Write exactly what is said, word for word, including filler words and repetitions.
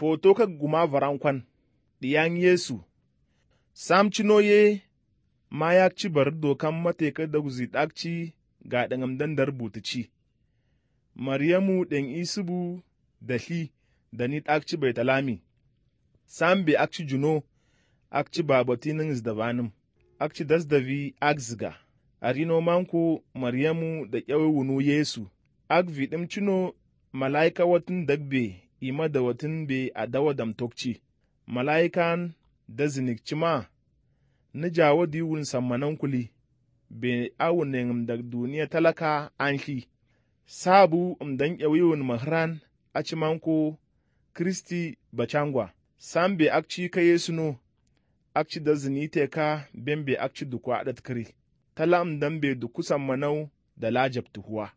foto ka guma varankwan, diyan Yesu, sam cinoye ma yak ci bar dokan mateka da guzi ɗakci ga ɗangam dandar butici. Maryamu ɗan isubu da li da ni ɗakci bai talami, sam be akci juno, akci babatinin zdabanim, akci dasdavi akziga, a rino manko Maryamu da ƙyawe wunu Yesu, ak viɗim cino malaika watin dagbe ima da watin be a dawa damtokci, malaikan da zinikci ma, ni jawo diwun sammanan kuli, be awunin da duniya talaka an li, sabu mdan ƙyawiwun mahran a cimanko Kristi bacangwa, sam be akci ka Yesu no, akci da zinite ka ben be akci dukwa adat kiri, tala mdan be duku sammanau da lajab tuhuwa.